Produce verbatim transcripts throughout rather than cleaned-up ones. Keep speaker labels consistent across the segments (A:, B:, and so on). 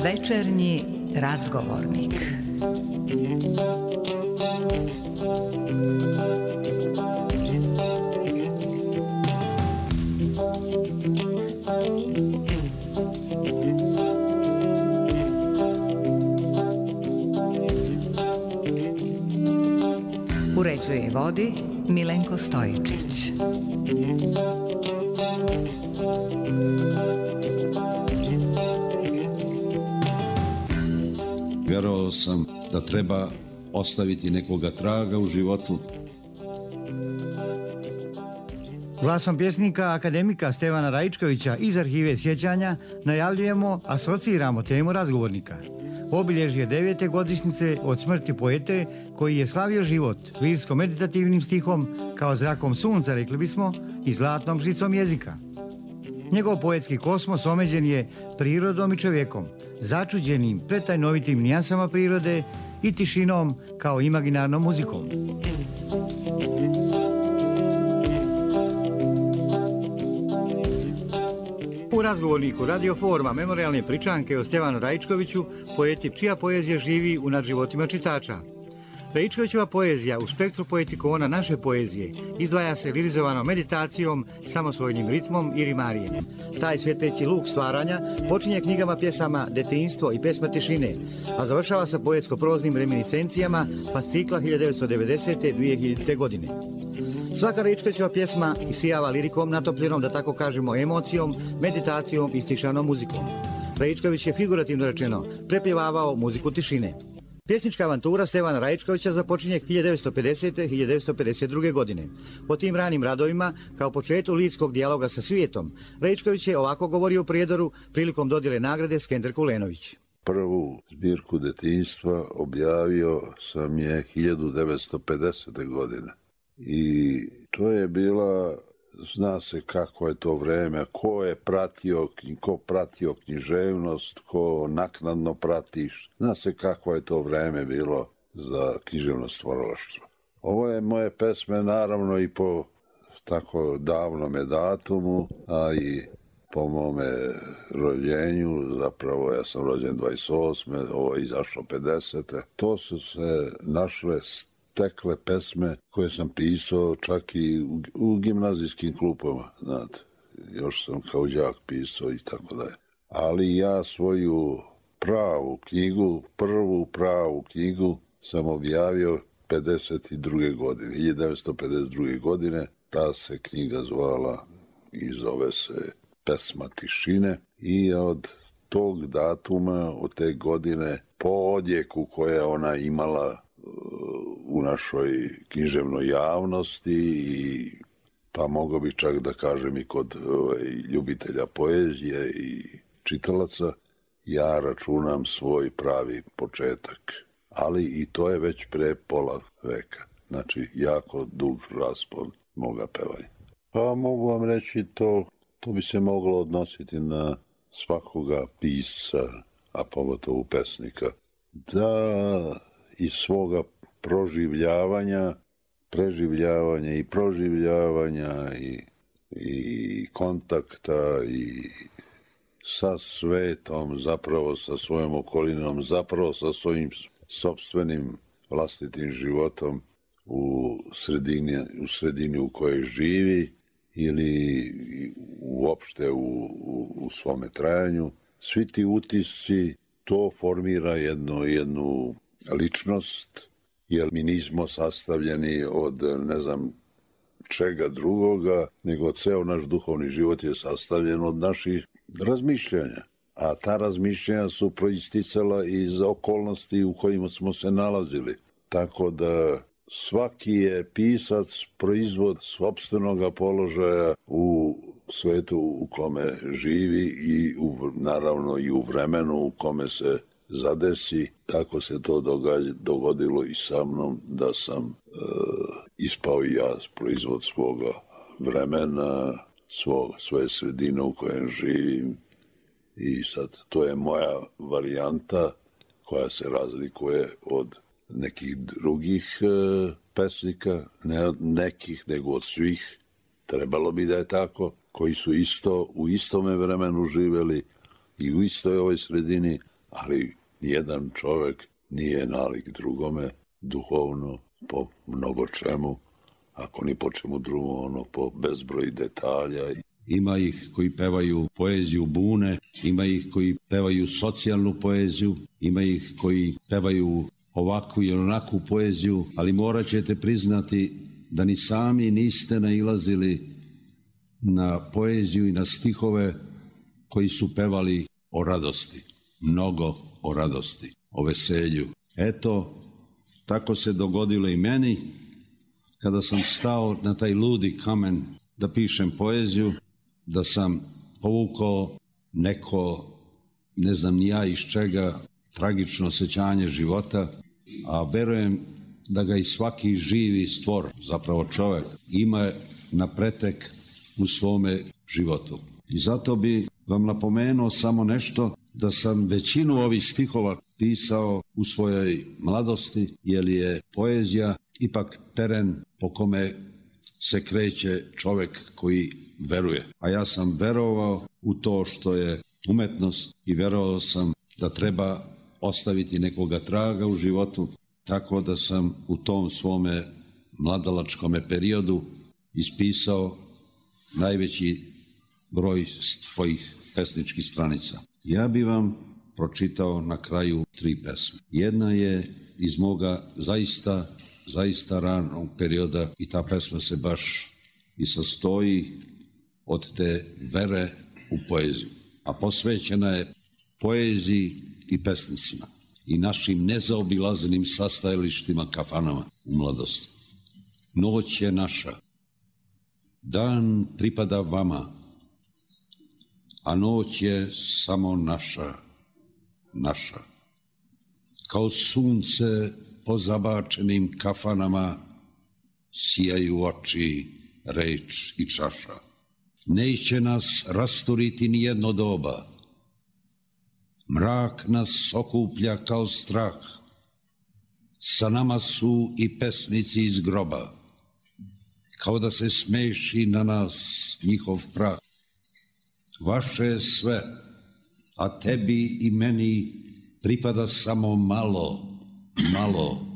A: Večernji razgovornik. Uređuje i vodi Milenko Stojičić.
B: Vjerovao sam da treba ostaviti nekoga traga u životu.
C: Glasom pjesnika akademika Stevana Raičkovića iz arhive sjećanja najavljujemo, asociramo temu razgovornika. Obilježje devete godišnjice od smrti poete koji je slavio život lirsko-meditativnim stihom kao zrakom sunca, rekli bismo, i zlatnom žicom jezika. Njegov poetski kosmos omeđen je prirodom i čovjekom, začuđenim pretajnovitim nijansama prirode i tišinom kao imaginarnom muzikom. U razgovorniku Radio Forma memorijalne pričanke o Stevanu Raičkoviću, poeti čija poezija živi u nadživotima čitača. Raičkovićeva poezija u spektru poetikona naše poezije izdvaja se lirizovanom meditacijom, samosvojnim ritmom i rimarijem. Taj svjetleći luk stvaranja počinje knjigama pjesama Detinjstvo i Pesma tišine, a završava sa poetsko-proznim reminiscencijama fascikla hiljadu devetsto devedesete. do dvije hiljadite. godine. Svaka Raičkovićeva pjesma isijava lirikom natopljenom, da tako kažemo, emocijom, meditacijom i stišanom muzikom. Raičković je figurativno rečeno prepjevavao muziku tišine. Pjesnička avantura Stevana Raičkovića započinje hiljadu devetsto pedesete. do hiljadu devetsto pedeset druge. godine. Po tim ranim radovima, kao početku lirskog dijaloga sa svijetom, Raičković je ovako govorio u Prijedoru prilikom dodjele nagrade Skender Kulenović.
D: Prvu zbirku Detinjstva objavio sam je hiljadu devetsto pedesete. godine. I to je bila, zna se kako je to vreme, ko je pratio, ko pratio književnost, ko naknadno pratiš. Zna se kako je to vreme bilo za književno stvaralaštvo. Ovo je moje pesme naravno i po tako davnome datumu, a i po mome rođenju, zapravo ja sam rođen dvadeset osme. Ovo je izašlo pedesete. To su se našle tekle pesme koje sam pisao čak i u, u gimnazijskim klupama, znate. Još sam kao đak pisao i tako dalje. Ali ja svoju pravu knjigu, prvu pravu knjigu sam objavio pedeset druge. godine, hiljadu devetsto pedeset druge. godine. Ta se knjiga zvala i zove se Pesma tišine i od tog datuma, od te godine, po odjeku koje ona imala u našoj književnoj javnosti i pa mogu bi čak da kažem i kod ovaj, ljubitelja poezije i čitalaca, ja računam svoj pravi početak. Ali i to je već pre pola veka. Znači, jako dug raspon moga pevanja. Pa mogu vam reći to, to bi se moglo odnositi na svakoga pisca, a pogotovo pesnika, da iz svoga proživljavanja, preživljavanja i proživljavanja i, i kontakta i sa svetom, zapravo sa svojom okolinom, zapravo sa svojim sopstvenim vlastitim životom u sredini, u sredini u kojoj živi ili uopšte u, u, u svome trajanju. Svi ti utisci, to formira jednu, jednu ličnost, jer mi nismo sastavljeni od ne znam čega drugoga, nego ceo naš duhovni život je sastavljen od naših razmišljanja. A ta razmišljanja su proisticala iz okolnosti u kojima smo se nalazili. Tako da svaki je pisac proizvod sopstvenoga položaja u svetu u kome živi i u, naravno i u vremenu u kome se zadesi. Tako se to događa, dogodilo i sa mnom, da sam e, ispao i ja proizvod svoga vremena, svog, svoje sredine u kojem živim. I sad to je moja varijanta koja se razlikuje od nekih drugih e, pesnika, ne od nekih, nego od svih, trebalo bi da je tako, koji su isto u istome vremenu živeli i u istoj ovoj sredini, ali nijedan čovek nije nalik drugome duhovno po mnogo čemu, ako ni po čemu drugom, ono po bezbroj detalja.
B: Ima ih koji pevaju poeziju bune, ima ih koji pevaju socijalnu poeziju, ima ih koji pevaju ovakvu i onakvu poeziju, ali morat ćete priznati da ni sami niste nailazili na poeziju i na stihove koji su pevali o radosti, mnogo o radosti, o veselju. Eto, tako se dogodilo i meni, kada sam stao na taj ludi kamen da pišem poeziju, da sam povukao neko, ne znam ni ja iz čega, tragično osjećanje života, a verujem da ga i svaki živi stvor, zapravo čovek, ima na pretek u svome životu. I zato bi vam napomenuo samo nešto, da sam većinu ovih stihova pisao u svojoj mladosti, jer je poezija ipak teren po kome se kreće čovek koji veruje. A ja sam verovao u to što je umetnost i verovao sam da treba ostaviti nekoga traga u životu, tako da sam u tom svome mladalačkome periodu ispisao najveći broj svojih pesničkih stranica. Ja bi vam pročitao na kraju tri pesme. Jedna je iz moga zaista, zaista ranog perioda i ta pesma se baš i sastoji od te vere u poeziju. A posvećena je poeziji i pesnicima i našim nezaobilaznim sastajalištima, kafanama u mladosti. Noć je naša, dan pripada vama, a noć je samo naša, naša. Kao sunce po zabačenim kafanama sijaju oči, reč i čaša. Neće nas rasturiti ni jedno doba, mrak nas okuplja kao strah, sa nama su i pesnici iz groba, kao da se smeši na nas njihov prah. Vaše je sve, a tebi i meni pripada samo malo, malo.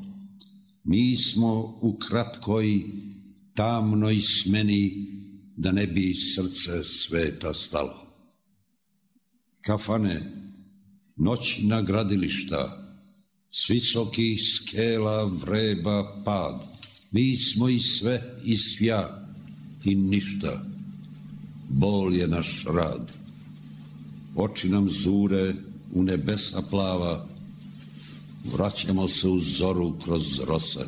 B: Mi smo u kratkoj, tamnoj smeni, da ne bi srce sveta stalo. Kafane, noćna gradilišta, s visokih skela vreba pad. Mi smo i sve i svja i ništa. Bol je naš rad. Oči nam zure u nebesa plava, vraćamo se u zoru kroz rose.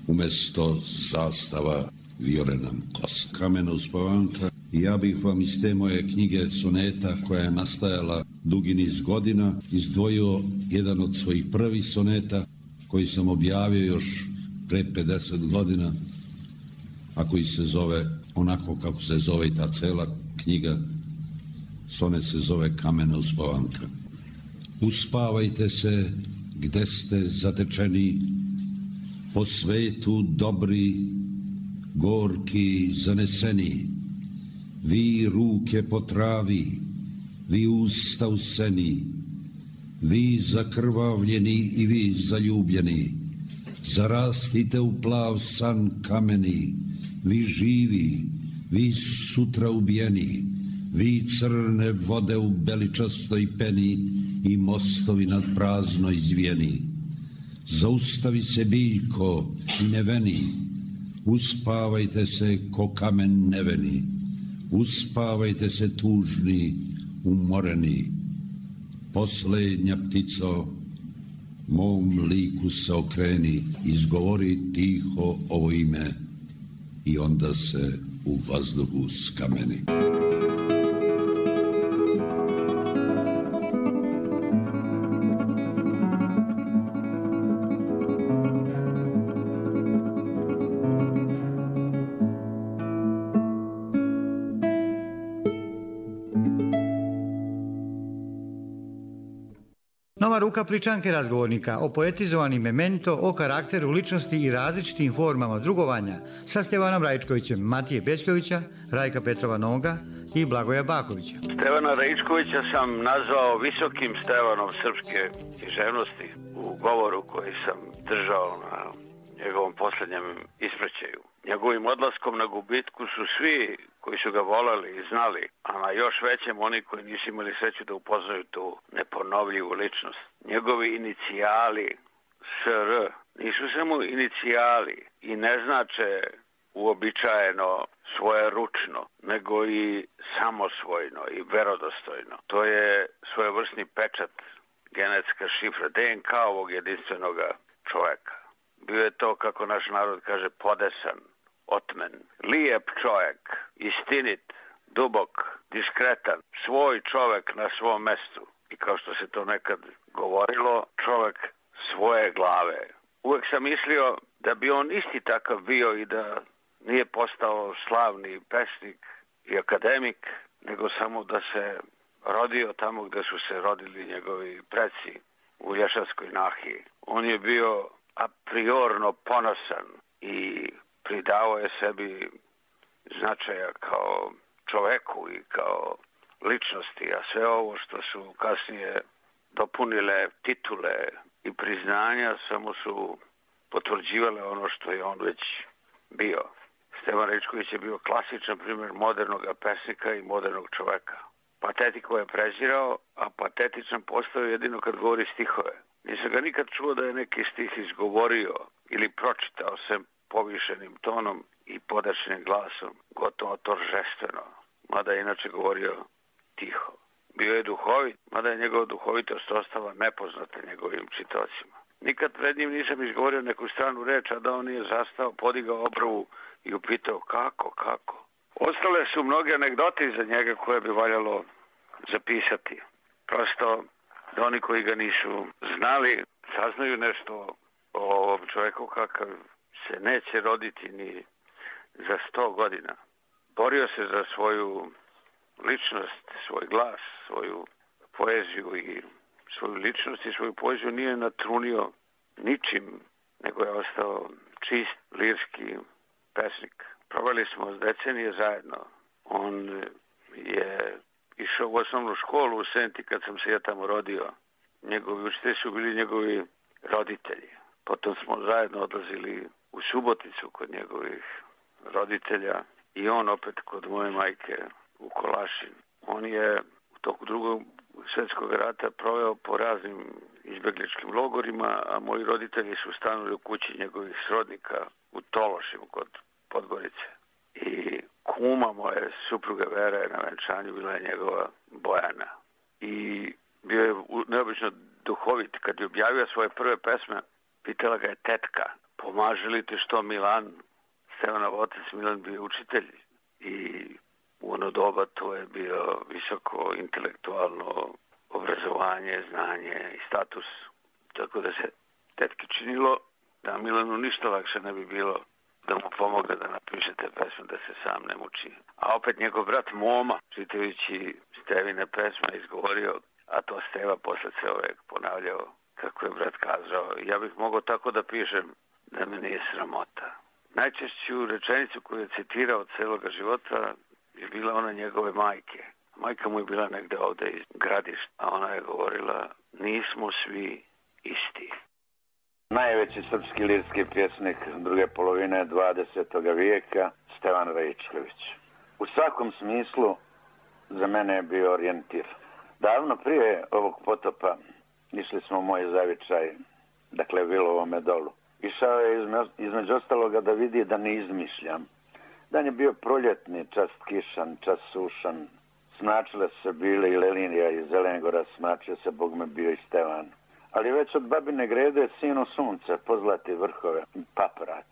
B: Umesto zastava vijore nam kosa. Kamena uspavanka. I ja bih vam iz te moje knjige soneta, koja je nastajala dugi niz godina, izdvojio jedan od svojih prvih soneta, koji sam objavio još pre pedeset godina, a koji se zove onako kako se zove i ta cela knjiga. Sonet se zove Kamena uspavanka. Uspavajte se gde ste zatečeni, po svetu dobri, gorki, zaneseni. Vi ruke po travi, vi usta u seni, vi zakrvavljeni i vi zaljubljeni. Zarastite u plav san kameni, vi živi, vi sutra ubijeni, vi crne vode u beličastoj peni i mostovi nad praznoj zvijeni. Zaustavi se biljko i neveni, uspavajte se ko kamen neveni, uspavajte se tužni, umoreni. Poslednja ptico, mom liku se okreni, izgovori tiho ovo ime i onda se u vazduhu skameni.
C: Na Nova ruka Pličanke razgovornika o poetizovanim memento, o karakteru ličnosti i različitim formama drugovanja sa Stevanom Raičkovićem, Matije Bećkovića, Rajka Petrova Noga i Blagoja Bakovića.
E: Stevana Raičkovića sam nazvao visokim Stevanom srpske književnosti u govoru koji sam držao na njegovom posljednjem ispraćaju. Njegovim odlaskom na gubitku su svi koji su ga volali i znali, a na još većem oni koji nisu imali sreću da upoznaju tu neponovljivu ličnost. Njegovi inicijali S R nisu samo inicijali i ne znače uobičajeno svoje ručno, nego i samosvojno i verodostojno. To je svojevrsni pečat, genetska šifra, D N K ovog jedinstvenog čovjeka. Bio je to, kako naš narod kaže, podesan, otmen, lijep čovjek, istinit, dubok, diskretan, svoj čovjek na svom mestu. I kao što se to nekad govorilo, čovjek svoje glave. Uvijek sam mislio da bi on isti takav bio i da nije postao slavni pesnik i akademik, nego samo da se rodio tamo gdje su se rodili njegovi preci u Lješanskoj nahiji. On je bio a priorno ponosan i pridao je sebi značaja kao čoveku i kao ličnosti, a sve ovo što su kasnije dopunile titule i priznanja samo su potvrđivale ono što je on već bio. Stevan Raičković je bio klasičan primjer modernog pesnika i modernog čoveka. Patetiku je prezirao, a patetičan postao jedino kad govori stihove. Nisam ga nikad čuo da je neki stih izgovorio ili pročitao sem povišenim tonom i podačnim glasom, gotovo toržestveno, mada je inače govorio tiho. Bio je duhovit, mada je njegova duhovitost ostala nepoznata njegovim čitocima. Nikad pred njim nisam izgovorio neku stranu reč, a da on nije zastao, podigao obravu i upitao kako, kako. Ostale su mnoge anegdote iza njega koje bi valjalo zapisati. Prosto da oni koji ga nisu znali saznaju nešto o ovom čovjeku kakav se neće roditi ni za sto godina. Borio se za svoju ličnost, svoj glas, svoju poeziju i svoju ličnost i svoju poeziju nije natrunio ničim, nego je ostao čist, lirski pesnik. Proveli smo decenije zajedno. On je išao u osnovnu školu u Senti kad sam se ja tamo rodio. Njegovi učitelji su bili njegovi roditelji. Potom smo zajedno odlazili u Suboticu kod njegovih roditelja i on opet kod moje majke u Kolašin. On je u toku drugog svjetskog rata proveo po raznim izbjegličkim logorima, a moji roditelji su stanuli u kući njegovih srodnika u Tološimu kod Podgorice. I kuma moje supruge Vera na venčanju bila je njegova Bojana. I bio je neobično duhovit. Kad je objavio svoje prve pesme, pitala ga je tetka, pomaže li ti što Milan, Stevanov otac Milan bio učitelj. I u ono doba to je bio visoko intelektualno obrazovanje, znanje i status. Tako da se tetki činilo da Milanu ništa lakše ne bi bilo da mu pomogne da napiše te pesme, da se sam ne muči. A opet njegov brat Moma, čitajući Stevine pesme, izgovorio, a to Steva posle ceo vek ponavljao, kako je brat kazao, ja bih mogao tako da pišem da me nije sramota. Najčešću rečenicu koju je citirao od celoga života je bila ona njegove majke. Majka mu je bila negde ovde iz Gradišta, a ona je govorila, nismo svi isti.
F: Najveći srpski lirski pjesnik druge polovine dvadesetog vijeka, Stevan Raičković. U svakom smislu za mene je bio orijentir. Davno prije ovog potopa išli smo u moj zavičaj, dakle Vilovome dolu. Išao je između ostaloga da vidi da ne izmišljam. Dan je bio proljetni, čas kišan, čas sušan. Smačile su se bile i Lelinija i Zelengora, smačio se Bog me bio i Stevan. Ali već od babine grede sinu sunce pozlati vrhove, paprat.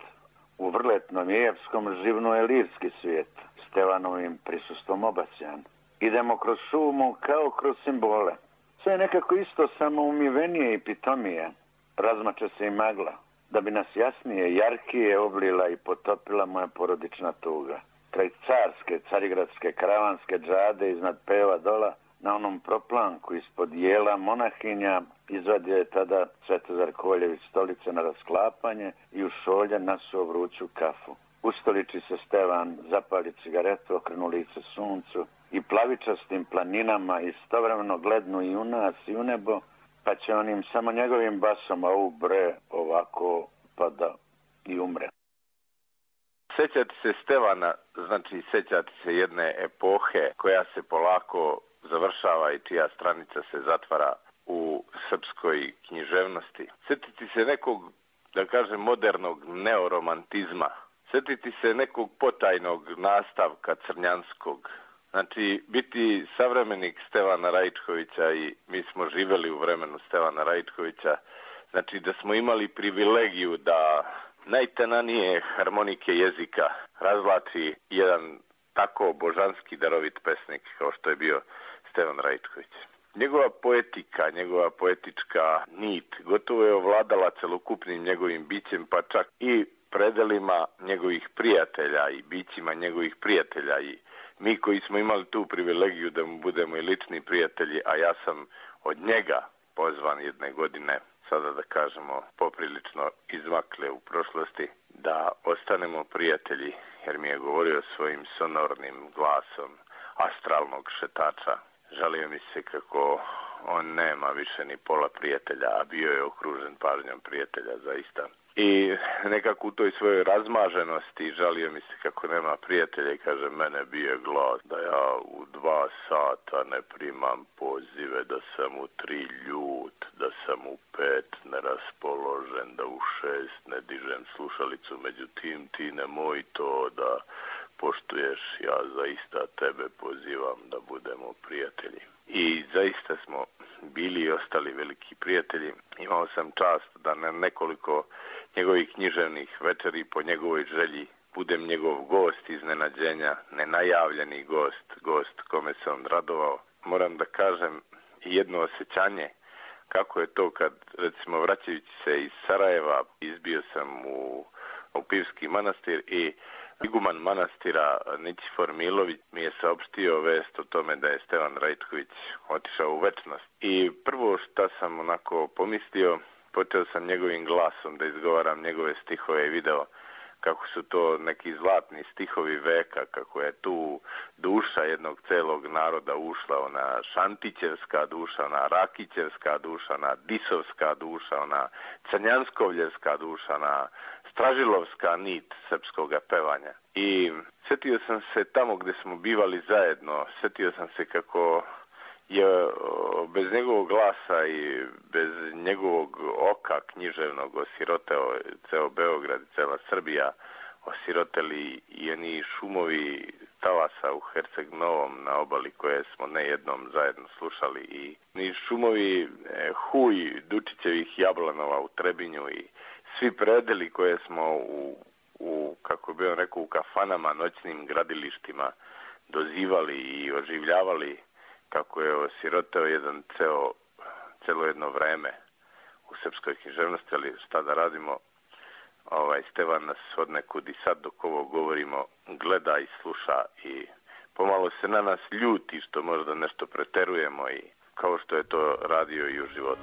F: U vrletnom jejevskom živno je lirski svijet, Stevanovim prisustvom obasjan. Idemo kroz šumu kao kroz simbole. Sve je nekako isto, samo umivenije i pitomije. Razmače se i magla, da bi nas jasnije, jarkije oblila i potopila moja porodična tuga. Kraj carske, carigradske, karavanske džade iznad peva dola na onom proplanku ispod jela monahinja izvadio je tada Svetozar Kovaljević stolice na rasklapanje i u šolje nasuo vruću kafu. Ustoliči se Stevan, zapali cigaretu, okrenu lice suncu i plavičastim planinama istovremeno glednu i u nas i u nebo, pa će onim samo njegovim basom, a u bre ovako pa da i umre.
G: Sećati se Stevana, znači sećati se jedne epohe koja se polako završava i čija stranica se zatvara u srpskoj književnosti. Sjetiti se nekog, da kažem, modernog neoromantizma. Sjetiti se nekog potajnog nastavka crnjanskog. Znači, biti savremenik Stevana Raičkovića, i mi smo živjeli u vremenu Stevana Raičkovića, znači da smo imali privilegiju da najtenanije harmonike jezika razvlači jedan tako božanski darovit pesnik kao što je bio Stevan Raičković. Njegova poetika, njegova poetička nit gotovo je ovladala celokupnim njegovim bićem, pa čak i predelima njegovih prijatelja i bićima njegovih prijatelja. I mi koji smo imali tu privilegiju da mu budemo i lični prijatelji, a ja sam od njega pozvan jedne godine, sada da kažemo poprilično izmakle u prošlosti, da ostanemo prijatelji, jer mi je govorio svojim sonornim glasom astralnog šetača. Žalio mi se kako on nema više ni pola prijatelja, a bio je okružen pažnjom prijatelja zaista. I nekako u toj svojoj razmaženosti žalio mi se kako nema prijatelja i kaže, mene bije glas da ja u dva sata ne primam pozive, da sam u tri ljut, da sam u pet neraspoložen, da u šest ne dižem slušalicu, međutim ti nemoj to da poštuješ, ja zaista tebe pozivam da budemo prijatelji. I zaista smo bili i ostali veliki prijatelji. Imao sam čast da na nekoliko njegovih književnih večeri po njegovoj želji budem njegov gost iznenađenja, nenajavljeni gost, gost kome se on radovao. Moram da kažem jedno osjećanje kako je to kad, recimo, vraćajući se iz Sarajeva, izbio sam u, u Pivski manastir i iguman manastira Nićifor Milović mi je saopštio vest o tome da je Stevan Raičković otišao u večnost. I prvo što sam onako pomislio, počeo sam njegovim glasom da izgovaram njegove stihove i video kako su to neki zlatni stihovi veka, kako je tu duša jednog celog naroda ušla, ona šantićevska duša, ona rakićevska duša, ona disovska duša, ona crnjanskovljevska duša, ona stražilovska nit srpskog pevanja. I sjetio sam se tamo gdje smo bivali zajedno, sjetio sam se kako je bez njegovog glasa i bez njegovog oka književnog osiroteo ceo Beograd i cela Srbija, osiroteli i oni šumovi talasa u Herceg Novom na obali koje smo nejednom zajedno slušali, i ni šumovi e, huj Dučićevih jablanova u Trebinju i svi predeli koje smo u, u kako bi on rekao, u kafanama, noćnim gradilištima dozivali i oživljavali, kako je osiroteo jedan ceo, celo jedno vreme u srpskoj književnosti, ali šta da radimo, ovaj Stevan nas od nekud i sad dok ovo govorimo gleda i sluša i pomalo se na nas ljuti što možda nešto preterujemo, i kao što je to radio i u životu.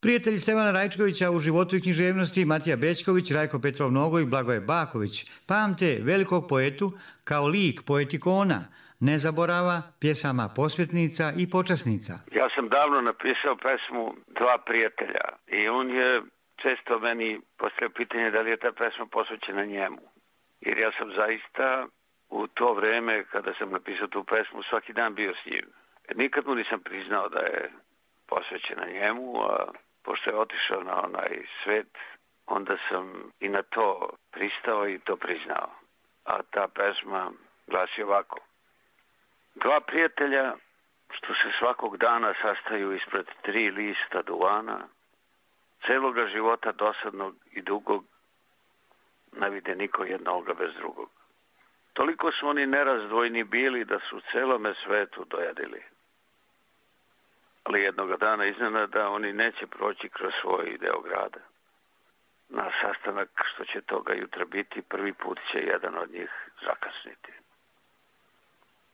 C: Prijatelji Stevana Raičkovića u životu i književnosti Matija Bećković, Rajko Petrov Nogo i Blagoje Baković pamte velikog poetu kao lik poetikona, nezaborava, pjesama posvetnica i počasnica.
E: Ja sam davno napisao pesmu Dva prijatelja i on je često meni postavio pitanje da li je ta pesma posvećena njemu. Jer ja sam zaista u to vreme kada sam napisao tu pesmu svaki dan bio s njim. Nikad mu nisam priznao da je posvećena njemu, a pošto je otišao na onaj svet, onda sam i na to pristao i to priznao. A ta pesma glasi ovako. Dva prijatelja što se svakog dana sastaju ispred tri lista duvana, celoga života dosadnog i dugog, ne vide niko jednoga bez drugog. Toliko su oni nerazdvojni bili da su celome svetu dojadili. Ali jednoga dana iznenada oni neće proći kroz svoj deo grada. na sastanak što će toga jutra biti, prvi put će jedan od njih zakasniti.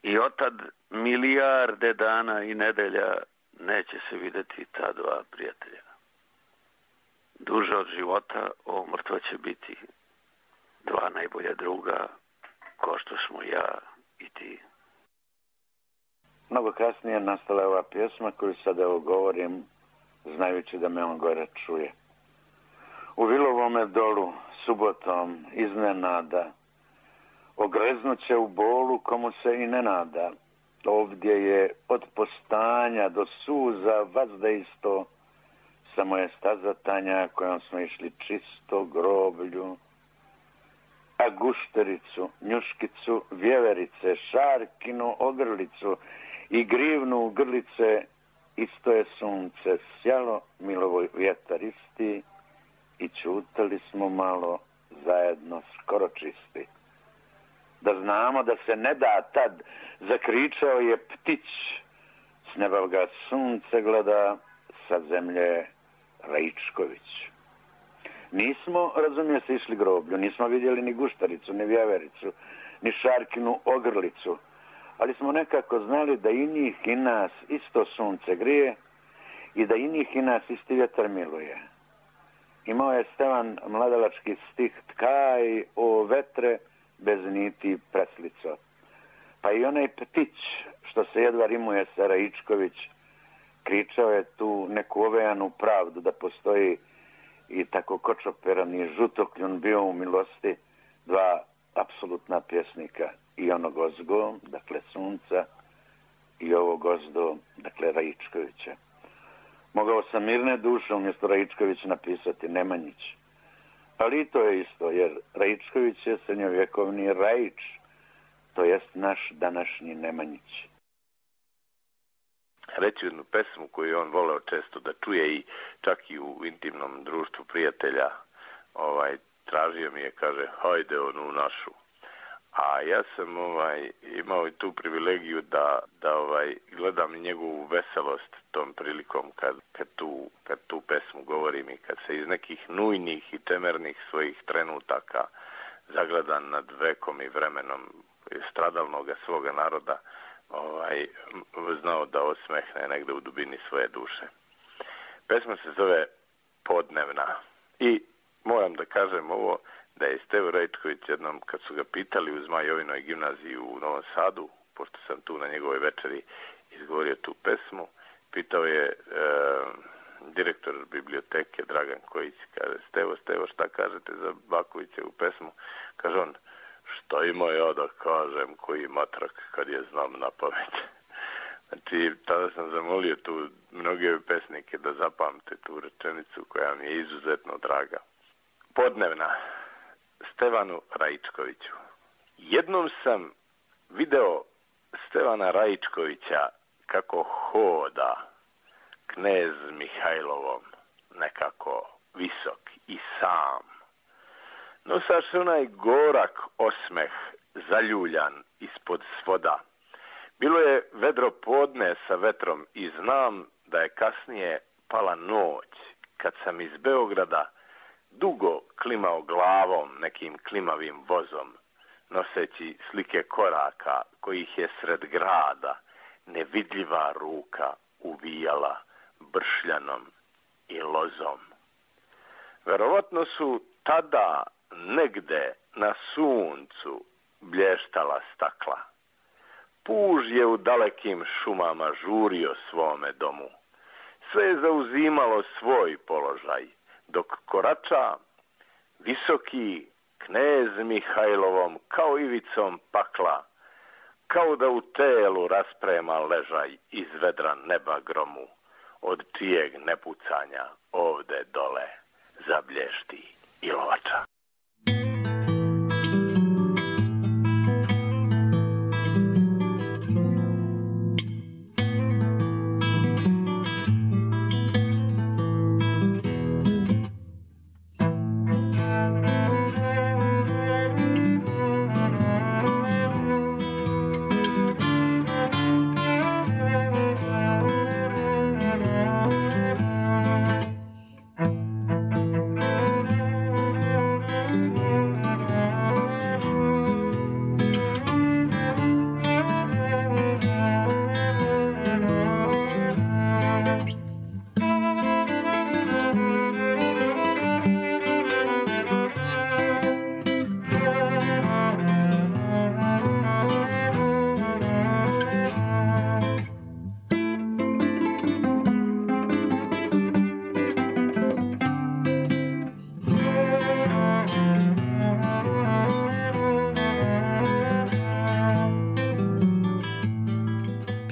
E: I otad milijarde dana i nedelja neće se videti ta dva prijatelja. Duže od života ovo mrtva će biti dva najbolja druga, ko što smo ja i ti.
F: Mnogo kasnije nastala je ova pjesma koju sad evo govorim, znajući da me on gore čuje. U Vilovome dolu, subotom, iznenada, ogreznuće u bolu komu se i ne nada. Ovdje je od postanja do suza vazda isto, samo je staza tanja kojom smo išli čisto groblju. A guštericu, njuškicu, vjeverice, šarkinu ogrlicu i grivnu grlice, isto je sunce sjalo, milovoj vjetar isti, i čutali smo malo zajedno skoro čisti. Da znamo da se ne da tad, zakričao je ptić, s neba ga sunce gleda, sa zemlje Raičković. Nismo, razumije se, išli groblju, nismo vidjeli ni guštaricu, ni vjevericu, ni šarkinu ogrlicu, ali smo nekako znali da i njih i nas isto sunce grije i da i njih i nas isti vjetar miluje. Imao je Stevan mladalački stih tkaj o vetre bez niti preslico. Pa i onaj ptić što se jedva rimuje sa Raičković kričao je tu neku ovejanu pravdu da postoji i tako kočoperan i žutokljun bio u milosti dva apsolutna pjesnika, i onog ozgo, dakle sunca, i ovog gozdo, dakle Raičkovića. Mogao sam mirne duše umjesto Raičković napisati Nemanjić. Ali i to je isto, jer Raičković je srednjovjekovni Raič, to jest naš današnji Nemanjić.
G: Reći jednu pesmu koju je on voleo često da čuje i čak i u intimnom društvu prijatelja, ovaj, tražio mi je, kaže, hajde onu našu. A ja sam ovaj, imao i tu privilegiju da, da ovaj, gledam njegovu veselost tom prilikom kad, kad, tu, kad tu pesmu govorim i kad se iz nekih nujnih i temernih svojih trenutaka zagledan nad vekom i vremenom stradalnoga svoga naroda, ovaj, znao da osmehne negde u dubini svoje duše. Pesma se zove Podnevna i moram da kažem ovo, da je Stevo Raičković jednom, kad su ga pitali u Zmajovinoj gimnaziji u Novom Sadu, pošto sam tu na njegovoj večeri izgovorio tu pesmu, pitao je e, direktor biblioteke Dragan Kojić, kaže, Stevo, Stevo, šta kažete za Bakovićevu pesmu? Kaže on, šta ima ja da kažem koji matrak kad je znam na pamet. Znači, tada sam zamolio tu mnoge pesnike da zapamte tu rečenicu koja mi je izuzetno draga. Podnevna. Stevanu Raičkoviću. Jednom sam video Stevana Raičkovića kako hoda knez Mihajlovom, nekako visok i sam. Nosaš onaj gorak osmeh zaljuljan ispod svoda. Bilo je vedro podne sa vetrom i znam da je kasnije pala noć kad sam iz Beograda dugo klimao glavom nekim klimavim vozom, noseći slike koraka kojih je sred grada nevidljiva ruka uvijala bršljanom i lozom. Verovatno su tada negde na suncu blještala stakla. Puž je u dalekim šumama žurio svome domu. Sve je zauzimalo svoj položaj, dok korača visoki knez Mihajlovom kao ivicom pakla, kao da u telu rasprema ležaj iz vedra neba gromu, od čijeg nepucanja ovde dole zablješti ilovača.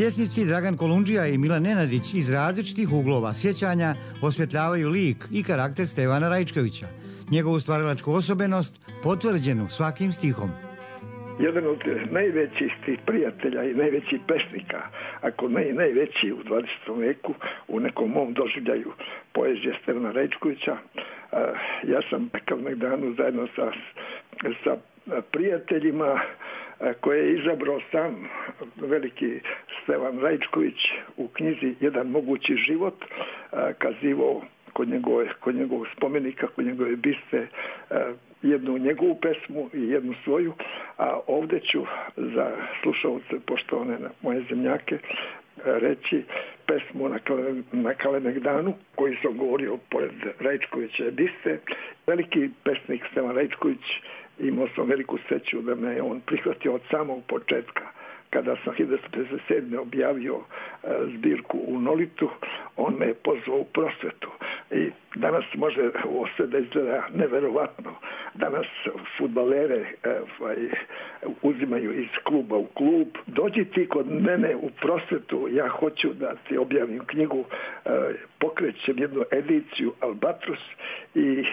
C: Pjesnici Dragan Kolundžija i Milan Nenadić iz različitih uglova sjećanja osvjetljavaju lik i karakter Stevana Raičkovića, njegovu stvaralačku osobenost potvrđenu svakim stihom.
H: Jedan od najvećih tih prijatelja i najvećih pesnika, ako ne i najveći u dvadesetom veku, u nekom mom doživljaju poezije Stevana Raičkovića. Ja sam na Kalemegdanu zajedno sa, sa prijateljima koje je izabrao sam veliki Stevan Raičković u knjizi Jedan mogući život, kazivao kod njegove, kod njegovog spomenika, kod njegove biste, jednu njegovu pesmu i jednu svoju, a ovdje ću za slušalce, poštovane moje zemljake, reći pesmu na, Kale, na Kalemegdanu, koji sam govorio pored Raičkovića biste. Veliki pesnik Stevan Raičković, imao sam veliku sreću da me on prihvatio od samog početka. Kada sam hiljadu devetsto pedeset sedme objavio e, zbirku u Nolitu, on me je pozvao u prosvetu. I danas može ovo sve da izgleda neverovatno. Danas fudbalere e, uzimaju iz kluba u klub. Dođi ti kod mene u prosvetu, ja hoću da ti objavim knjigu, e, pokrećem jednu ediciju Albatros i e,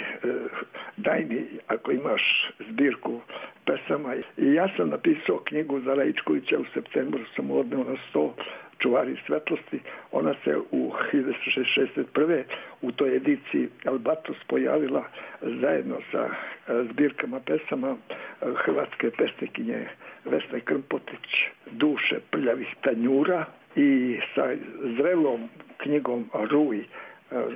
H: daj mi, ako imaš zbirku pesama. I ja sam napisao knjigu za Raičkovića, u septembru sam odneo na sto, Čuvari svetlosti. Ona se u hiljadu devetsto šezdeset prve u toj ediciji Albatros pojavila zajedno sa zbirkama pesama hrvatske pesnikinje Vesne Krmpotić, Duše prljavih tanjura, i sa zrelom knjigom Ruj,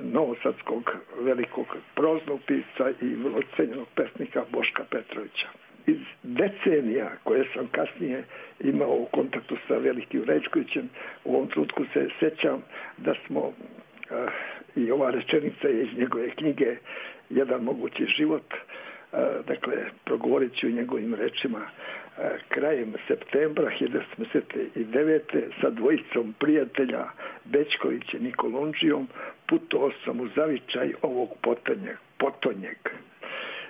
H: novosadskog velikog proznog pisca i vrlo cenjenog pesnika Boška Petrovića. Iz decenija koje sam kasnije imao u kontaktu sa velikim Raičkovićem, u ovom trenutku se sjećam da smo, uh, i ova rečenica je iz njegove knjige Jedan mogući život, uh, dakle, progovorit ću njegovim rečima, uh, krajem septembra hiljadu devetsto pedeset devete sa dvojicom prijatelja Bećkovićem i Kolundžijom putovao sam u zavičaj ovog potonjeg. potonjeg.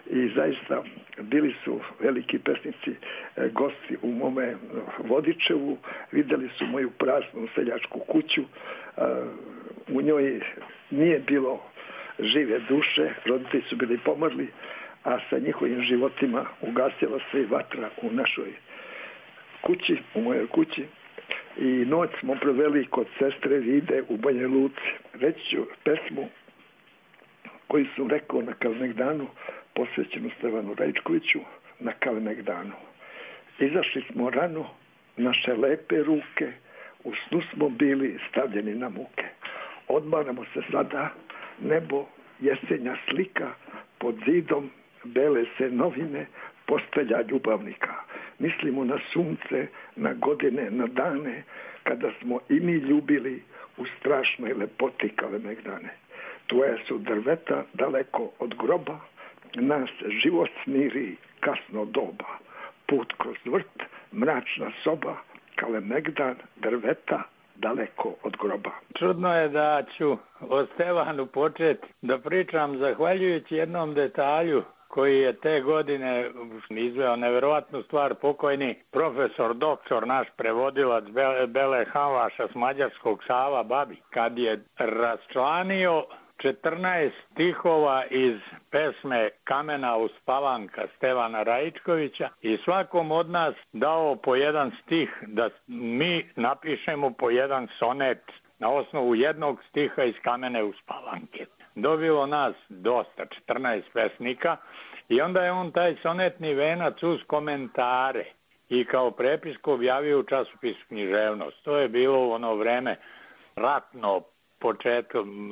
H: I zaista bili su veliki pesnici e, gosti u mome Vodičevu, vidjeli su moju praznu seljačku kuću, e, u njoj nije bilo žive duše, roditelji su bili pomrli, a sa njihovim životima ugasila se i vatra u našoj kući, u mojoj kući. I noć smo proveli kod sestre Vide u Banja Luci. Reći ću pesmu koju sam rekao na Kalemegdanu, posvećenu Stevanu Raičkoviću, na Kalemegdanu. Izašli smo rano, naše lepe ruke, u snu smo bili stavljeni na muke. Odmaramo se sada, nebo, jesenja slika, pod zidom bele se novine, postelja ljubavnika. Mislimo na sunce, na godine, na dane, kada smo i mi ljubili u strašnoj lepoti Kalemegdane. Tvoja su drveta daleko od groba, nas život smiri kasno doba. Put kroz vrt, mračna soba, Kalemegdan, drveta daleko od groba.
I: Čudno je da ću o Stevanu početi da pričam zahvaljujući jednom detalju koji je te godine izveo neverovatnu stvar, pokojni profesor, doktor, naš prevodilac Bele Havaša s mađarskog, Sava Babi, kad je raščlanio četrnaest stihova iz pesme Kamena uspavanka Stevana Raičkovića i svakom od nas dao po jedan stih da mi napišemo po jedan sonet na osnovu jednog stiha iz Kamene uspavanke. Dobilo nas dosta, četrnaest pesnika, i onda je on taj sonetni venac uz komentare i kao prepisku objavio u časopisu Književnost. To je bilo u ono vreme ratno, početkom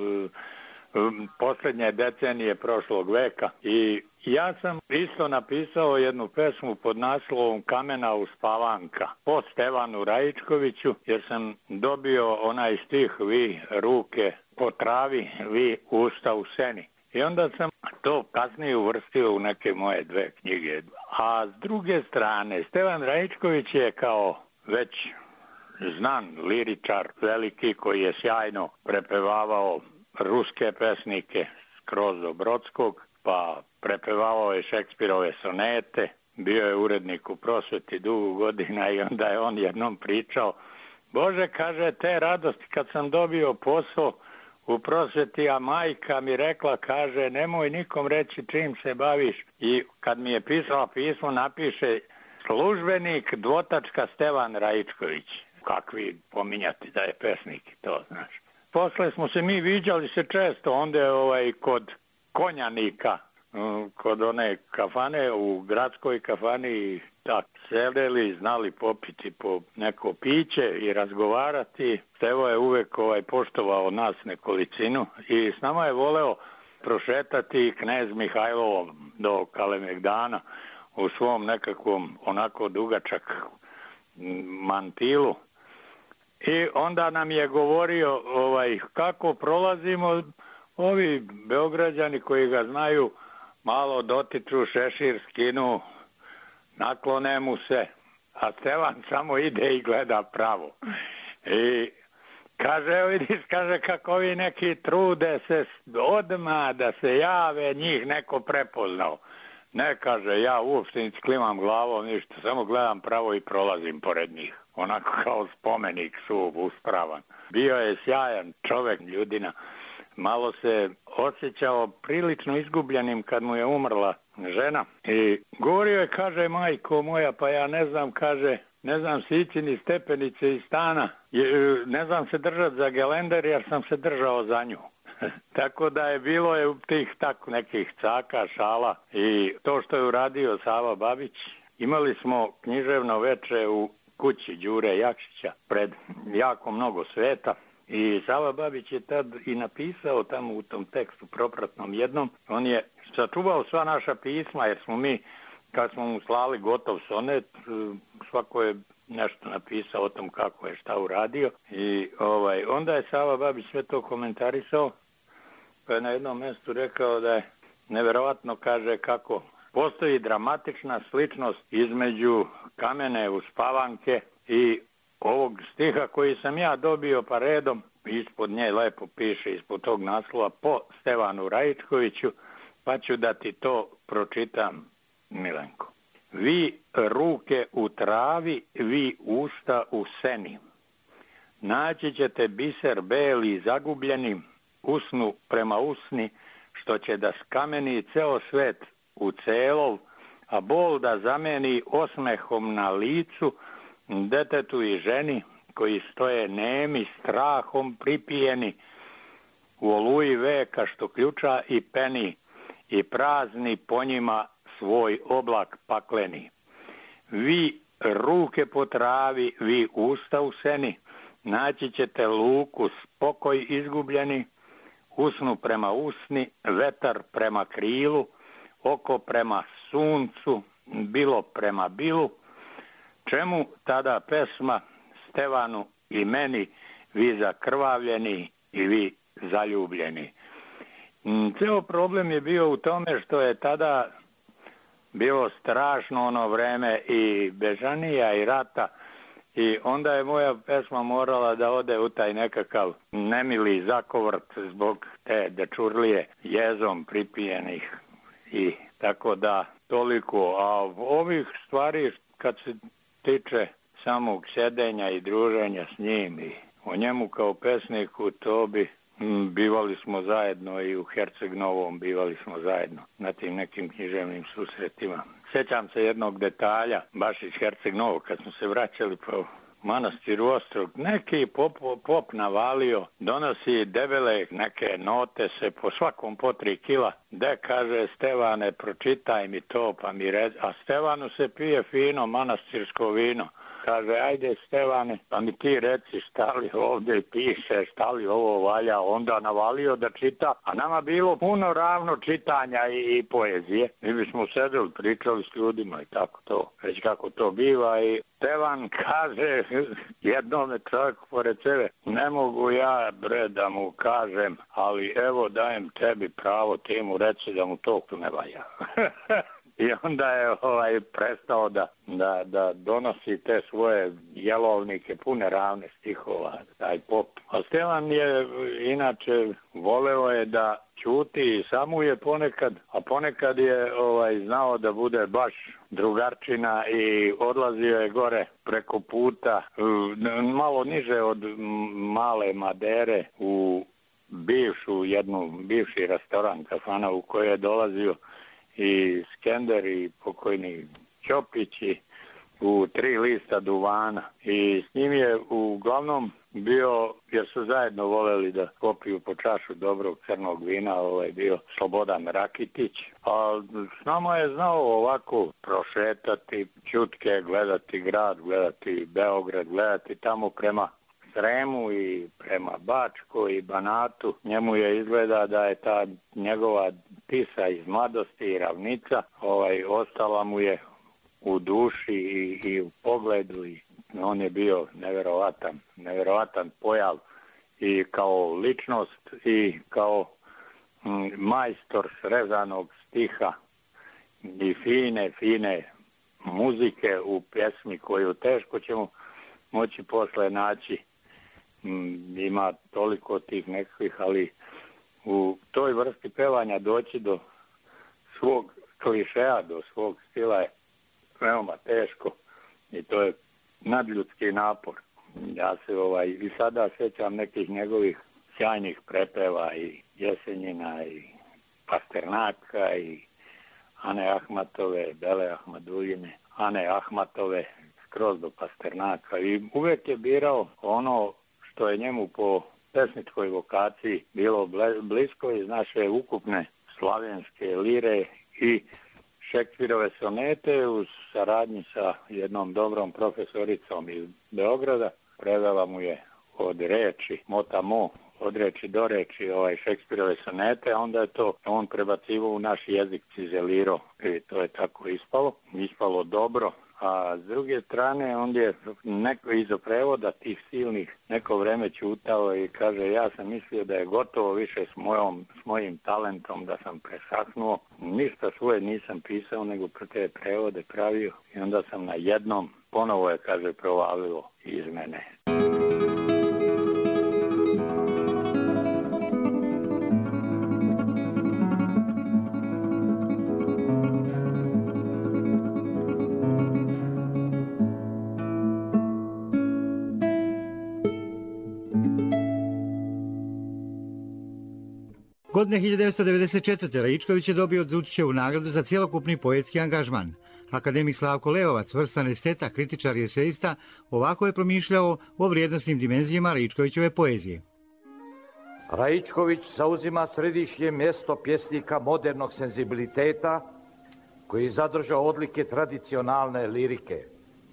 I: posljednje decenije prošlog veka, i ja sam isto napisao jednu pesmu pod naslovom Kamena uspavanka po Stevanu Raičkoviću, jer sam dobio onaj stih vi ruke po travi, vi usta u seni. I onda sam to kasnije uvrstio u neke moje dve knjige. A s druge strane, Stevan Raičković je kao već znan liričar veliki koji je sjajno prepevavao ruske pesnike skroz do Brodskog, pa prepevavao je Šekspirove sonete, bio je urednik u Prosveti dugo godina i onda je on jednom pričao Bože, kaže, te radosti kad sam dobio posao u prosveti, a majka mi rekla, kaže, nemoj nikom reći čim se baviš. I kad mi je pisala pismo, napiše službenik dvotačka Stevan Raičković. Kakvi pominjati da je pesnik, to znaš. Posle smo se mi viđali se često, onda je ovaj, kod Konjanika, kod one kafane, u gradskoj kafani, tak sedeli, znali popiti po neko piće i razgovarati. Stevo je uvek ovaj, poštovao nas nekolicinu i s nama je voleo prošetati knez Mihajlovom do Kalemegdana u svom nekakvom onako dugačak mantilu. I onda nam je govorio ovaj, kako prolazimo, ovi Beograđani koji ga znaju malo dotiču šešir, skinu, naklone mu se, a Stevan samo ide i gleda pravo. I kaže, evo vidiš, kaže, kako ovi neki trude se odmah da se jave, njih neko prepoznao. Ne, kaže, ja uopšte nič klimam glavom, ništa, samo gledam pravo i prolazim pored njih. Onako kao spomenik suv, uspravan. Bio je sjajan čovek, ljudina. Malo se osjećao prilično izgubljenim kad mu je umrla žena. I govorio je, kaže, majko moja, pa ja ne znam, kaže, ne znam sići ni stepenice iz stana. Ne znam se držati za gelender jer sam se držao za nju. Tako da je bilo je tih tako nekih caka, šala i to što je uradio Sava Babić. Imali smo književno veče u kući Đure Jakšića pred jako mnogo sveta i Sava Babić je tad i napisao tamo u tom tekstu propratnom jednom. On je sačuvao sva naša pisma jer smo mi, kad smo mu slali gotov sonet, svako je nešto napisao o tom kako je šta uradio i ovaj, onda je Sava Babić sve to komentarisao. Pa je na jednom mjestu rekao da je neverovatno, kaže, kako postoji dramatična sličnost između Kamene uspavanke i ovog stiha koji sam ja dobio pa redom, ispod nje lepo piše, ispod tog naslova, po Stevanu Raičkoviću, pa ću da ti to pročitam, Milenko. Vi ruke u travi, vi usta u seni. Naći ćete biser beli zagubljeni, usnu prema usni, što će da skameni ceo svet u celov, a bol da zameni osmehom na licu detetu i ženi koji stoje nemi strahom pripijeni u oluji veka što ključa i peni i prazni po njima svoj oblak pakleni. Vi ruke po travi, vi usta u seni, naći ćete luku spokoj izgubljeni, usnu prema usni, vetar prema krilu, oko prema suncu, bilo prema bilu. Čemu tada pesma Stevanu i meni, vi zakrvavljeni i vi zaljubljeni? Ceo problem je bio u tome što je tada bilo strašno ono vreme i bežanija i rata i onda je moja pesma morala da ode u taj nekakav nemili zakovrt zbog te dečurlije jezom pripijenih i tako da toliko. A ovih stvari kad se tiče samog sjedenja i druženja s njim i o njemu kao pesniku, to bi m, bivali smo zajedno i u Herceg Novom bivali smo zajedno na tim nekim književnim susretima. Sjećam se jednog detalja, baš iz Herceg Novog, kad smo se vraćali po manastiru Ostrog, neki pop, pop navalio, donosi debele neke note se po svakom po tri kila, de kaže Stevane, pročitaj mi to, pa mi reci, a Stevanu se pije fino manastirsko vino. Kaže, ajde Stevane, pa mi ti reci šta li ovdje piše, šta li ovo valja, onda navalio da čita, a nama bilo puno ravno čitanja i, i poezije. Mi bismo sedeli, pričali s ljudima i tako to, već kako to biva i Stevan kaže jednome čovjeku pored sebe, ne mogu ja bre da mu kažem, ali evo dajem tebi pravo, ti mu reci da mu to ne valja. i onda je ovaj, prestao da, da, da donosi te svoje jelovnike pune ravne stihova, taj pop. A Stevan je inače voleo je da ćuti i samo je ponekad, a ponekad je ovaj, znao da bude baš drugarčina i odlazio je gore preko puta, malo niže od Male Madere u bivšu, jednu, bivši restoran kafana u kojoj je dolazio i Skender i pokojni Ćopići u tri lista duvana i s njim je uglavnom bio, jer su zajedno voleli da popiju po čašu dobrog crnog vina, ovaj bio Slobodan Rakitić, a s nama je znao ovako prošetati čutke, gledati grad, gledati Beograd, gledati tamo prema Sremu i prema Bačkoj i Banatu. Njemu je izgleda da je ta njegova Tisa iz mladosti i ravnica ovaj, ostala mu je u duši i, i u pogledu i on je bio neverovatan, neverovatan pojav i kao ličnost i kao m, majstor srezanog stiha i fine, fine muzike u pjesmi koju teško ćemo moći posle naći. M, ima toliko tih nekakvih, ali u toj vrsti pevanja doći do svog klišeja, do svog stila je veoma teško i to je nadljudski napor. Ja se ovaj i sada sjećam nekih njegovih sjajnih prepeva i Jesenjina i Pasternaka i Ane Ahmatove, Bele Ahmaduljine, Ane Ahmatove skroz do Pasternaka i uvijek je birao ono što je njemu po pesničkoj vokaciji bilo blisko iz naše ukupne slavenske lire i Šekspirove sonete u saradnji sa jednom dobrom profesoricom iz Beograda. Prevela mu je od reči, motamo, od reči do reči ovaj Šekspirove sonete, a onda je to on prebacivo u naš jezik, cizelirao i to je tako ispalo. Ispalo dobro. A s druge strane, on je neko iza prevoda tih silnih neko vreme ćutao i kaže, ja sam mislio da je gotovo više s, mojom, s mojim talentom, da sam presahnuo. Ništa svoje nisam pisao, nego te prevode pravio i onda sam na jednom, ponovo je, kaže, provalilo iz mene.
C: Godine hiljadu devetsto devedeset četvrte. Raičković je dobio Đutićevu nagradu za cjelokupni poetski angažman. Akademik Slavko Leovac, vrstan esteta, kritičar i eseista, ovako je promišljao o vrijednosnim dimenzijama Raičkovićeve poezije.
J: Raičković zauzima središnje mjesto pjesnika modernog senzibiliteta koji je zadržao odlike tradicionalne lirike.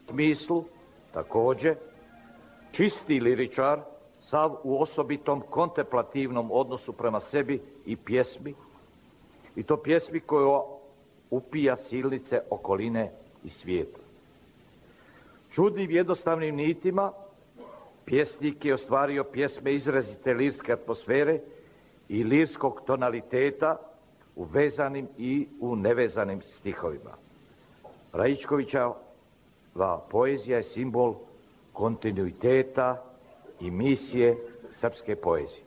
J: U smislu, također, čisti liričar, sav u osobitom kontemplativnom odnosu prema sebi i pjesmi, i to pjesmi koja upija silnice okoline i svijeta. Čudnim jednostavnim nitima pjesnik je ostvario pjesme izrazite lirske atmosfere i lirskog tonaliteta u vezanim i u nevezanim stihovima. Raičkovićeva poezija je simbol kontinuiteta i misije srpske poezije.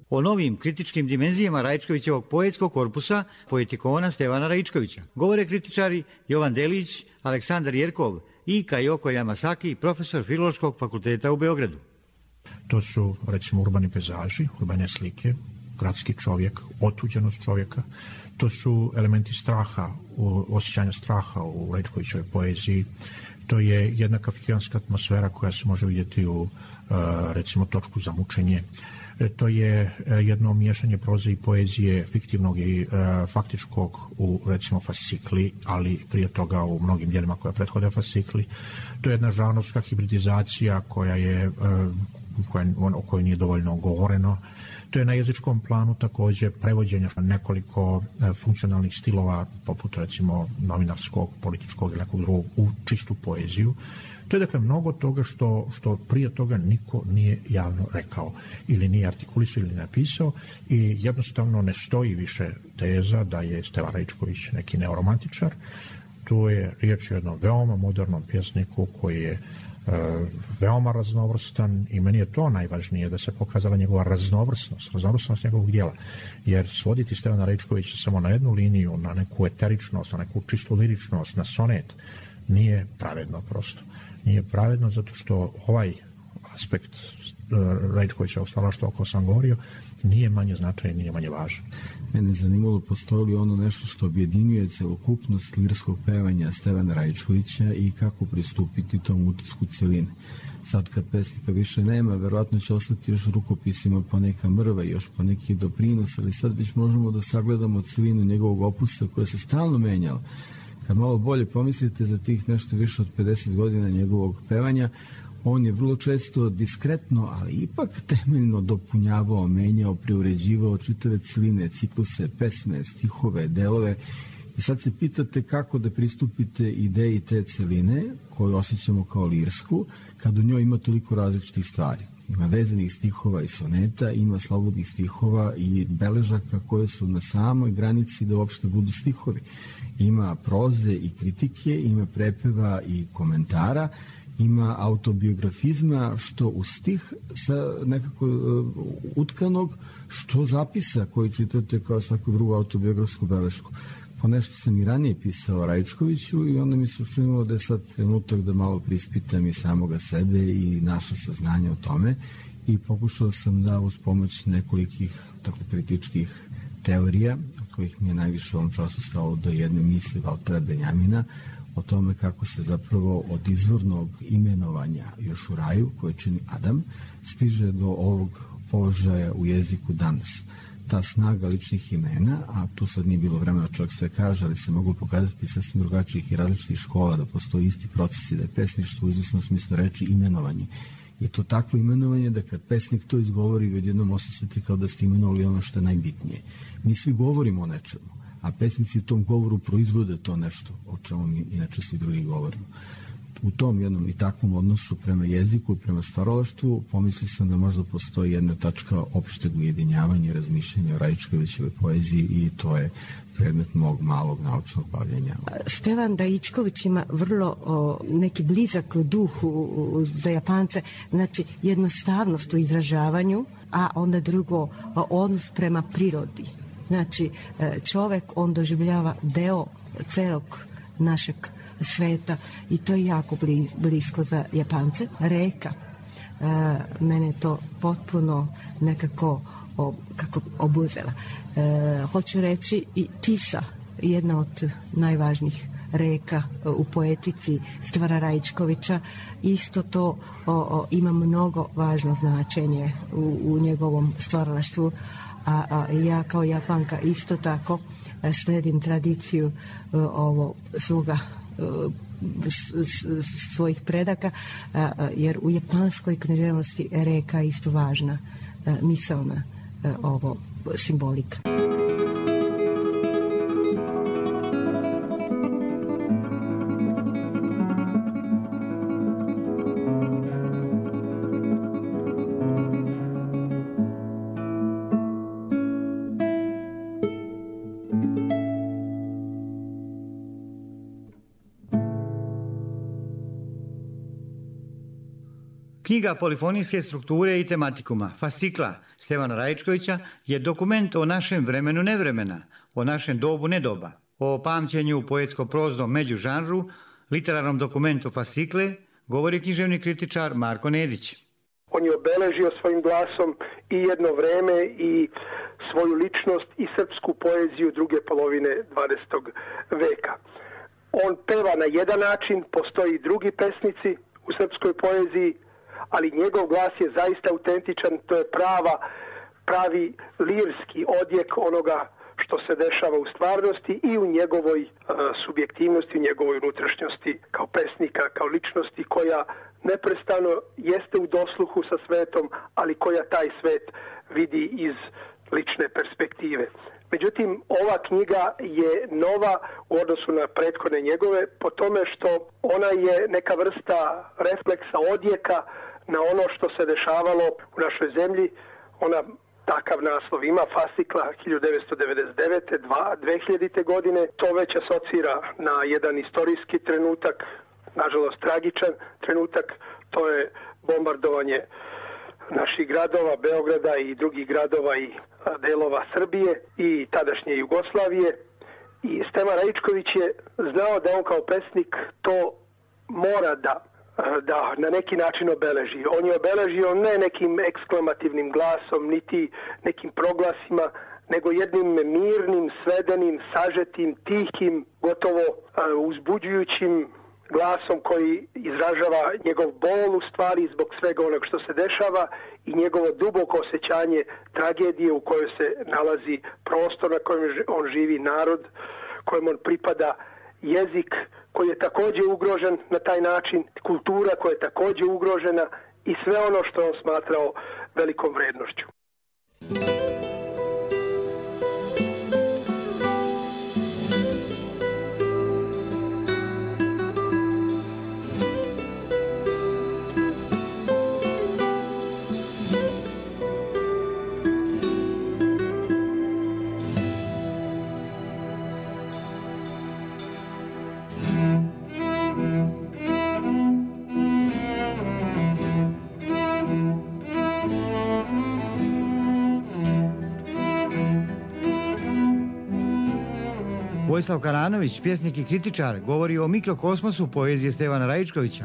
C: O novim kritičkim dimenzijama Raičkovićevog poetskog korpusa poetikona Stevana Raičkovića govore kritičari Jovan Delić, Aleksandar Jerkov i Kajoko Yamasaki, profesor Filološkog fakulteta u Beogradu.
K: To su, recimo, urbani pejzaži, urbane slike, gradski čovjek, otuđenost čovjeka. To su elementi straha, osjećanja straha u Raičkovićevoj poeziji. To je jedna kafkijanska atmosfera koja se može vidjeti u, recimo, Točku za mučenje. To je jedno miješanje proze i poezije, fiktivnog i faktičkog u, recimo, fascikli, ali prije toga u mnogim djelima koja prethode fascikli. To je jedna žanrovska hibridizacija koja je, koja, o kojoj nije dovoljno govoreno. To je na jezičkom planu također prevođenja nekoliko funkcionalnih stilova, poput, recimo, novinarskog, političkog ili nekog drugog, u čistu poeziju. To je dakle mnogo toga što, što prije toga niko nije javno rekao ili nije artikulisao ili napisao i jednostavno ne stoji više teza da je Stevan Raičković neki neoromantičar. To je riječ o jednom veoma modernom pjesniku koji je veoma raznovrstan i meni je to najvažnije da se pokazala njegova raznovrsnost, raznovrsnost njegovog dijela, jer svoditi Stevana Raičkovića samo na jednu liniju, na neku eteričnost, na neku čistu liričnost, na sonet, nije pravedno prosto. Nije pravedno zato što ovaj aspekt Raičkovića stvaralaštva o kojem sam govorio nije manje značajan, nije manje važan.
L: Mene zanimalo postoji li ono nešto što objedinjuje celokupnost lirskog pevanja Stevana Raičkovića i kako pristupiti tom utisku celine. Sad kad pesnika više nema, verovatno će ostati još rukopisima po neka mrva i još po neki doprinos, ali sad već možemo da sagledamo celinu njegovog opusa koja se stalno menjala. Kad malo bolje pomislite za tih nešto više od pedeset godina njegovog pevanja, on je vrlo često diskretno, ali ipak temeljno dopunjavao, menjao, preuređivao čitave celine, cikluse, pesme, stihove, delove. I sad se pitate kako da pristupite ideji te celine, koju osjećamo kao lirsku, kad u njoj ima toliko različitih stvari. Ima vezanih stihova i soneta, ima slobodnih stihova i beležaka koje su na samoj granici da uopšte budu stihovi. Ima proze i kritike, ima prepeva i komentara, ima autobiografizma, što u stih sa nekako uh, utkanog, što zapisa koji čitate kao svaku drugu autobiografsku belešku. Po nešto sam i ranije pisao o Raičkoviću i onda mi se učinilo da je sad trenutak da malo prispitam i samoga sebe i naša saznanja o tome i pokušao sam da uz pomoć nekolikih tako kritičkih teorija, od kojih mi je najviše u ovom času stalo do jedne misli Valtera Benjamina, o tome kako se zapravo od izvornog imenovanja još u raju, koje čini Adam, stiže do ovog položaja u jeziku danas. Ta snaga ličnih imena, a tu sad nije bilo vremena čovjek sve kaže, ali se mogu pokazati sasvim drugačijih i različitih škola, da postoji isti procesi, da je pesništvo u izvesnom smislu reči imenovanje. Je to takvo imenovanje da kad pesnik to izgovori, vi odjednom osjećate kao da ste imenovali ono što je najbitnije. Mi svi govorimo o nečemu, a pesnici u tom govoru proizvode to nešto o čemu mi inače svi drugi govorimo. U tom jednom i takvom odnosu prema jeziku i prema stvaralaštvu pomislio sam da možda postoji jedna tačka opšteg ujedinjavanja i razmišljanja o Raičkovićevoj poeziji i to je predmet mog malog naučnog bavljenja.
M: Stevan Raičković ima vrlo o, neki blizak duh u, u, za Japance, znači jednostavnost u izražavanju, a onda drugo o, odnos prema prirodi. Znači čovek on doživljava deo celog našeg sveta i to je jako bliz, blisko za Japance. Reka, e, mene to potpuno nekako o, kako obuzela. E, hoću reći i Tisa, jedna od najvažnijih reka u poetici Stevana Raičkovića, isto to o, o, ima mnogo važno značenje u, u njegovom stvaralaštvu, a, a ja kao Japanka isto tako sledim tradiciju ovo svoga svojih predaka, jer u japanskoj književnosti reka je isto važna misaona ovo simbolika.
C: Knjiga polifonijske strukture i tematikuma, fascikla Stevana Raičkovića, je dokument o našem vremenu nevremena, o našem dobu nedoba, o pamćenju u poetsko-proznom međužanru, literarnom dokumentu fascikle, govori književni kritičar Marko Nedić.
N: On je obeležio svojim glasom i jedno vreme i svoju ličnost i srpsku poeziju druge polovine dvadesetog veka. On peva na jedan način, postoji i drugi pesnici u srpskoj poeziji, ali njegov glas je zaista autentičan, to je prava, pravi lirski odjek onoga što se dešava u stvarnosti i u njegovoj uh, subjektivnosti, u njegovoj unutrašnjosti kao pesnika, kao ličnosti koja neprestano jeste u dosluhu sa svetom, ali koja taj svet vidi iz lične perspektive. Međutim, ova knjiga je nova u odnosu na prethodne njegove po tome što ona je neka vrsta refleksa, odjeka na ono što se dešavalo u našoj zemlji. Ona takav naslov ima, Fascikla hiljadu devetsto devedeset devete. dve hiljadite. godine. To već asocira na jedan istorijski trenutak, nažalost tragičan trenutak. To je bombardovanje naših gradova, Beograda i drugih gradova i delova Srbije i tadašnje Jugoslavije. I Stevan Raičković je znao da on kao pesnik to mora da da na neki način obeleži. On je obeležio ne nekim eksklamativnim glasom, niti nekim proglasima, nego jednim mirnim, svedenim, sažetim, tihim, gotovo uzbuđujućim glasom koji izražava njegov bol u stvari zbog svega onog što se dešava i njegovo duboko osjećanje tragedije u kojoj se nalazi prostor na kojem on živi, narod kojem on pripada, jezik koji je također ugrožen na taj način, kultura koja je također ugrožena i sve ono što on smatrao velikom vrednošću.
C: Vojislav Karanović, pjesnik i kritičar, govori o mikrokosmosu poezije Stevana Raičkovića.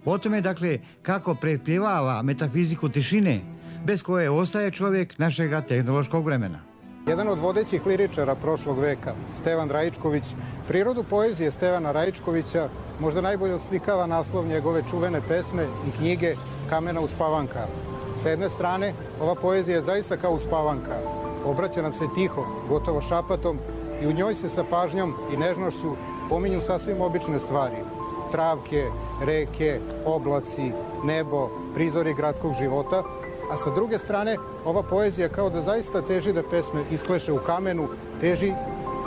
C: O tome, dakle, kako prepjevava metafiziku tišine, bez koje ostaje čovjek našega tehnološkog vremena.
O: Jedan od vodećih liričara prošlog veka, Stevan Raičković, prirodu poezije Stevana Raičkovića možda najbolje oslikava naslov njegove čuvene pesme i knjige Kamena uspavanka. Sa jedne strane, ova poezija je zaista kao uspavanka. Obraća nam se tiho, gotovo šapatom, i u njoj se sa pažnjom i nežnošću pominju sasvim obične stvari. Travke, reke, oblaci, nebo, prizori gradskog života, a sa druge strane ova poezija kao da zaista teži da pesme iskleše u kamenu, teži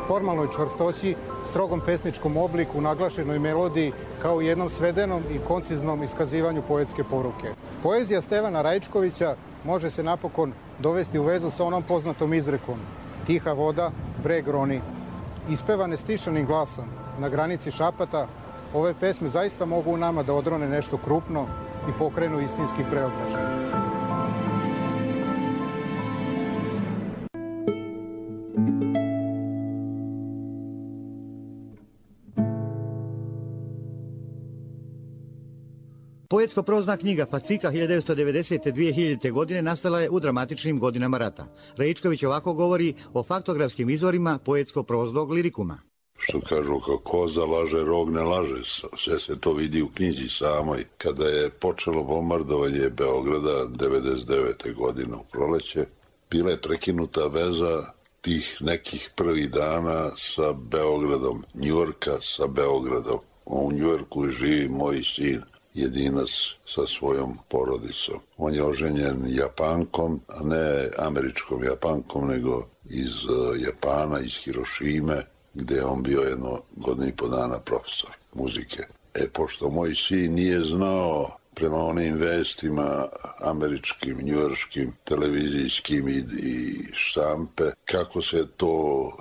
O: formalnoj čvrstoći, strogom pesničkom obliku, naglašenoj melodiji, kao u jednom svedenom i konciznom iskazivanju poetske poruke. Poezija Stevana Raičkovića može se napokon dovesti u vezu sa onom poznatom izrekom: tiha voda, breg roni. Ispevane stišanim glasom na granici šapata, ove pesme zaista mogu u nama da odrone nešto krupno i pokrenu istinski preobražaj.
C: Poetsko-prozna knjiga Fascikla hiljadu devetsto devedesete. do dve hiljadite. godine nastala je u dramatičnim godinama rata. Raičković ovako govori o faktografskim izvorima poetsko-proznog lirikuma.
D: Što kažu, kao koza laže, rog ne laže. Sve se to vidi u knjizi samoj. Kada je počelo bombardovanje Beograda devedeset devete. godine u proleće, bila je prekinuta veza tih nekih prvih dana sa Beogradom, Njujorka sa Beogradom. U Njujorku živi moj sin Jedinac sa svojom porodicom. On je oženjen Japankom, a ne američkom Japankom, nego iz Japana, iz Hirošime, gdje je on bio jedno godinu i po dana profesor muzike. E, pošto moj sin nije znao prema onim vestima američkim, njujorškim, televizijskim i, i štampe, kako se to,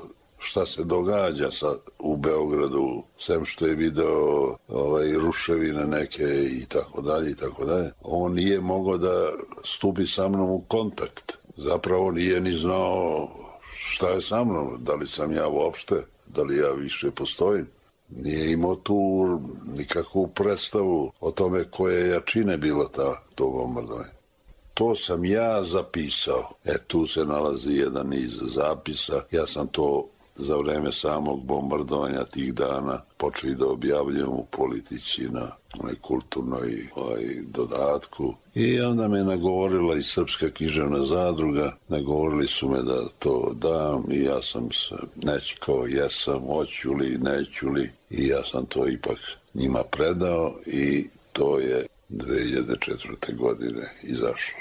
D: šta se događa sa, u Beogradu, sem što je video ovaj, ruševine neke i tako dalje i tako dalje. On nije mogao da stupi sa mnom u kontakt. Zapravo nije ni znao šta je sa mnom, da li sam ja uopšte, da li ja više postojim. Nije imao tu nikakvu predstavu o tome koje jačine bila ta, to bombardovanje. To sam ja zapisao. E, tu se nalazi jedan niz zapisa. Ja sam to za vreme samog bombardovanja tih dana počeli da objavljujem u Politici na onoj kulturnoj ovaj, dodatku. I onda me nagovorila i Srpska književna zadruga, nagovorili su me da to dam i ja sam se nečekao, jesam, hoću li, neću li, i ja sam to ipak njima predao i to je dve hiljade četvrte. godine izašlo.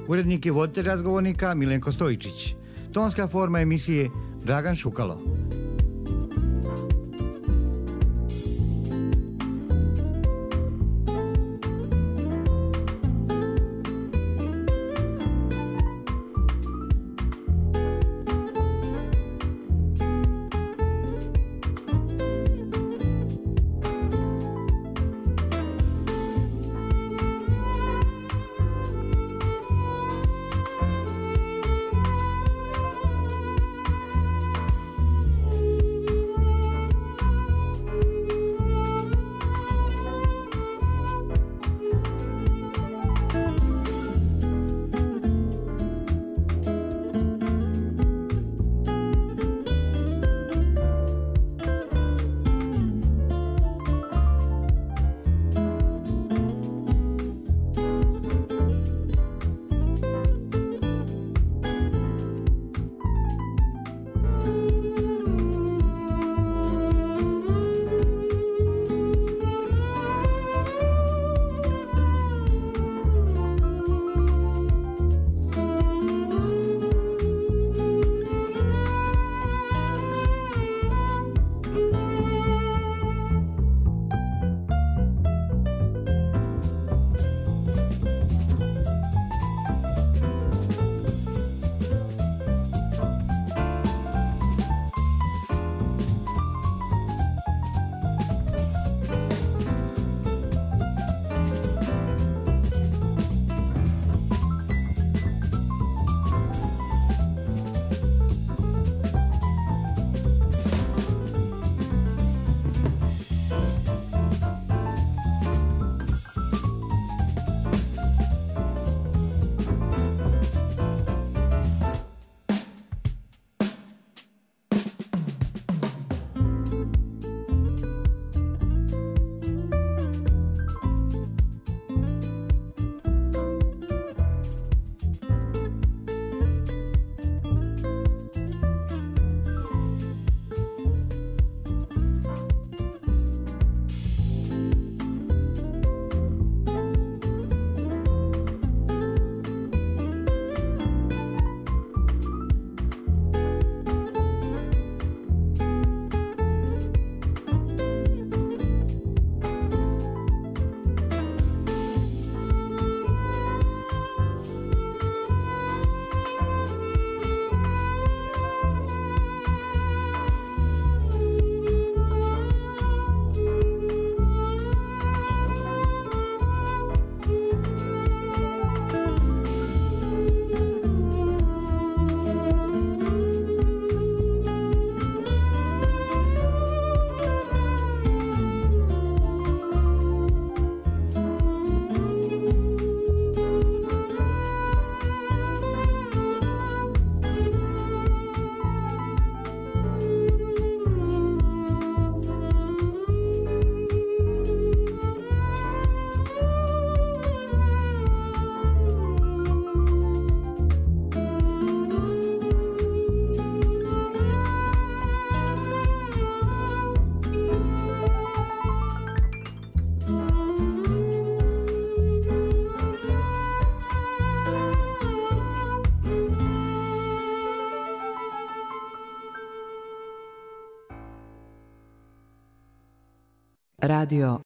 C: Urednik i voditelj razgovornika Milenko Stojičić. Tonska forma emisije Dragan Šukalo.
A: Radio